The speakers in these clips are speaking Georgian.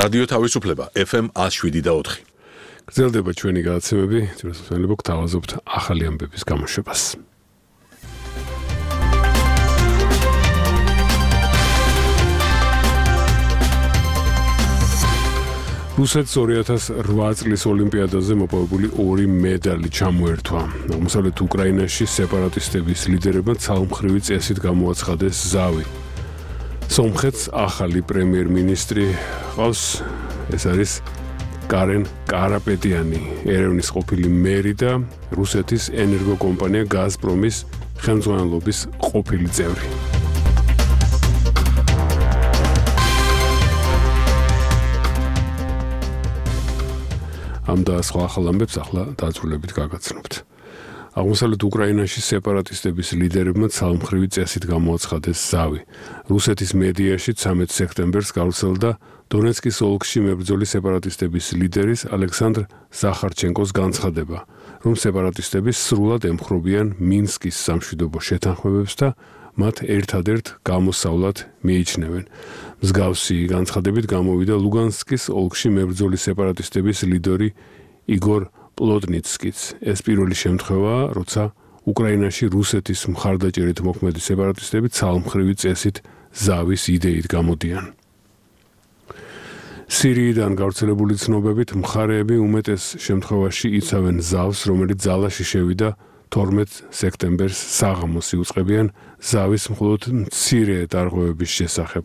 რადიო თავისუფლება FM 107.4. გრძელდება ჩვენი გადაცემები, ძირითადად გვთავაზობთ ახალი ამბების გამოშვებას. რუსეთს 2008 წლის ოლიმპიადაზე მოპოვებული 2 მედალი ჩამოერთვა. აღმოსავლეთ უკრაინაში სეპარატისტების ლიდერებმა ცალმხრივი წესით გამოაცხადეს ზავი. სომხეთს ახალი პრემიერ-მინისტრი ყავს, ეს არის კარენ კარაპეტიანი, ერევნის ყოფილი მერი და რუსეთის ენერგოკომპანია გაზპრომის ხელმძღვანელობის ყოფილი წევრი. ამ და სხვა ახალ ამბებს ახლა დაწვრილებით გაგაცნობთ. აღმოსავლეთ უკრაინაში სეპარატისტების ლიდერებმა ცალმხრივი წესით გამოაცხადეს ზავი. რუსეთის მედიაში 13 სექტემბერს გავრცელდა დონეცკის ოლქში მებრძოლი სეპარატისტების ლიდერის ალექსანდრ ზახარჩენკოს განცხადება, რომ სეპარატისტები სრულად ემხრობიან მინსკის სამშვიდობო შეთანხმებებს და მათ ერთადერთ გამოსავლად მიიჩნევენ. მსგავსი განცხადებით გამოვიდა ლუგანსკის ოლქში მებრძოლი სეპარატისტების ლიდერი იგორ პლოტნიცკიც. ეს პირველი შემთხვევაა, როცა უკრაინაში რუსეთის მხარდაჭერით მოქმედი სეპარატისტები ცალმხრივი წესით ზავის იდეით გამოდიან. სირიიდან გავრცელებული ცნობებით მხარეები უმეტეს შემთხვევაში იცავენ ზავს, რომელიც ძალაში შევიდა 12 სექტემბერს საღამოს იუწყებიან ზავის მხოლოდ მცირე დარღვევების შესახებ.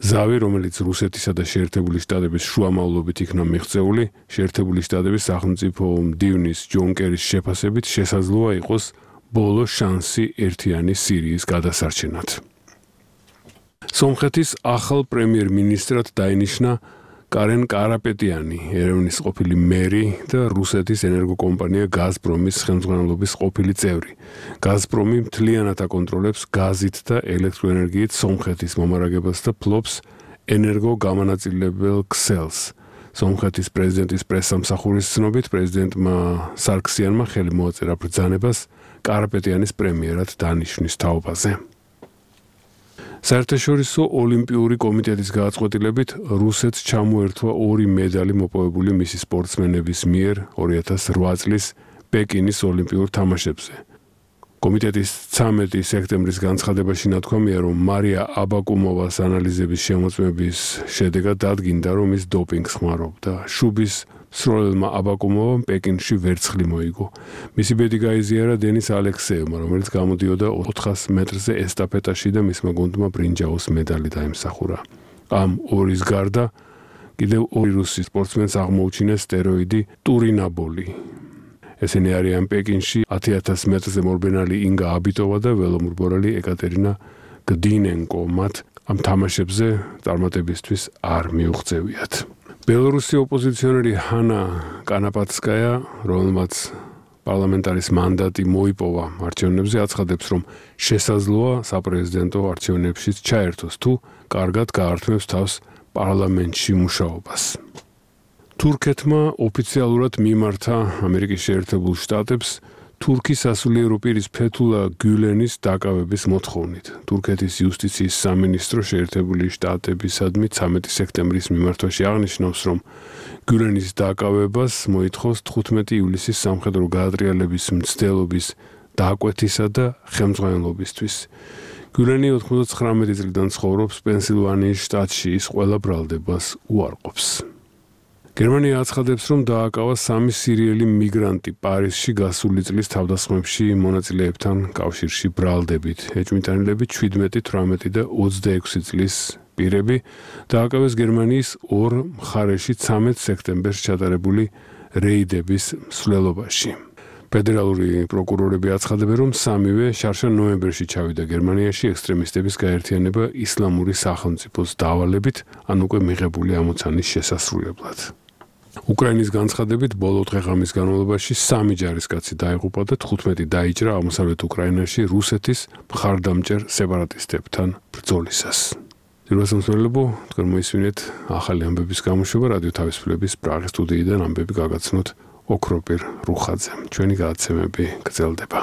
ზავი, რომელიც რუსეთისა და შეერთებული შტატების შუამავლობით იქნა მიღწეული, შეერთებული შტატების სახელმწიფო მდივნის ჯონ კერის შეფასებით შესაძლოა იყოს ბოლო შანსი ერთიანი სირიის გადასარჩენად. სომხეთის ახალ პრემიერ-მინისტრად დაინიშნა კარენ კარაპეტიანი, ერევნის ყოფილი მერი და რუსეთის ენერგოკომპანია გაზპრომის ხელმძღვანელობის ყოფილი წევრი. გაზპრომი მთლიანად აკონტროლებს გაზით და ელექტროენერგიით სომხეთის მომარაგებას და ფლობს ენერგოგამანაწილებელ ქსელს. სომხეთის პრეზიდენტის პრესსამსახურის ცნობით, პრეზიდენტმა სარქსიანმა ხელი მოაწერა ბრძანებას კარაპეტიანის პრემიერად დანიშვნის თაობაზე. საერთაშორისო ოლიმპიური კომიტეტის გადაწყვეტილებით რუსეთს ჩამოერთვა 2 მედალი მოპოვებული მისი სპორტსმენების მიერ 2008 წლის პეკინის ოლიმპიურ თამაშებზე. კომიტეტის 13 სექტემბრის განცხადებაში ნათქვამია, რომ მარია აბაკუმოვას ანალიზების შემოწმების შედეგად დადგინდა, რომ ის დოპინგს ხმარობდა. შუბის მსროლელმა აბაკუმოვამ პეკინში ვერცხლი მოიგო. მისი ბედი გაიზიარა დენის ალექსეევმა, რომელიც გამოდიოდა 400 მეტრზე ესტაფეტაში და მისმა გუნდმა ბრინჯაოს მედალი დაიმსახურა. ამ ორის გარდა კიდევ 2 რუსი სპორტსმენს აღმოუჩინეს სტეროიდი ტურინაბოლი. ესენი არიან პეკინში 10,000 მეტრზე მორბენალი ინგა აბიტოვა და ველომურბორალი ეკატერინა გდინენკო. მათ ამ თამაშებზე წარმატებისთვის არ მიუღწევიათ. ბელორუსი ოპოზიციონერი ჰანა კანაპაცკაია, რომელმაც პარლამენტარის მანდატი მოიპოვა არჩევნებზე, აცხადებს, რომ შესაძლოა საპრეზიდენტო არჩევნებშიც ჩაერთოს, თუ კარგად გაართმევს თავს პარლამენტში მუშაობას. თურქეთმა ოფიციალურად მიმართა ამერიკის შეერთებულ შტატებს თურქის სასულიერო პირის ფეთულა გულენის დაკავების მოთხოვნით. თურქეთის იუსტიციის სამინისტრო შეერთებული შტატებისადმი 13 სექტემბრის მიმართვაში აღნიშნავს, რომ გულენის დაკავებას მოითხოვს 15 ივლისის სამხედრო გადატრიალების მცდელობის დაკვეთისა და ხელმძღვანელობისთვის. გულენი 99 წლიდან ცხოვრობს პენსილვანიის შტატში, ის ყველა ბრალდებას უარყოფს. გერმანია აცხადებს, რომ დააკავა 3 სირიელი მიგრანტი პარიზში გასული წლის თავდასხმებში მონაწილეებთან კავშირში ბრალდებით. ეჭვმიტანილები 17, 18 და 26 წლის პირები დააკავეს გერმანიის 2 მხარეში 13 სექტემბერს ჩატარებული რეიდების მსვლელობაში. ფედერალური პროკურორები აცხადებენ, რომ 3-ვე შარშან ნოემბერში ჩავიდა გერმანიაში ექსტრემისტების გაერთიანება ისლამური სახელმწიფოს დავალებით, ან უკვე მიღებული ამოცანის შესასრულებლად. უკრაინის განცხადებით, ბოლო დღე-ღამის განმავლობაში 3 ჯარისკაცი დაიღუპა და 15 დაიჭრა აღმოსავლეთ უკრაინაში რუსეთის მხარდამჭერ სეპარატისტებთან ბრძოლისას. ძირვასამსვლელებო, თქვენ მოისმინეთ ახალი ამბების გამოშვება რადიო თავისუფლების პრაღის სტუდიიდან ამბები გაგაცნოთ ოქროპირ რუხაძემ. ჩვენი გადაცემები გრძელდება.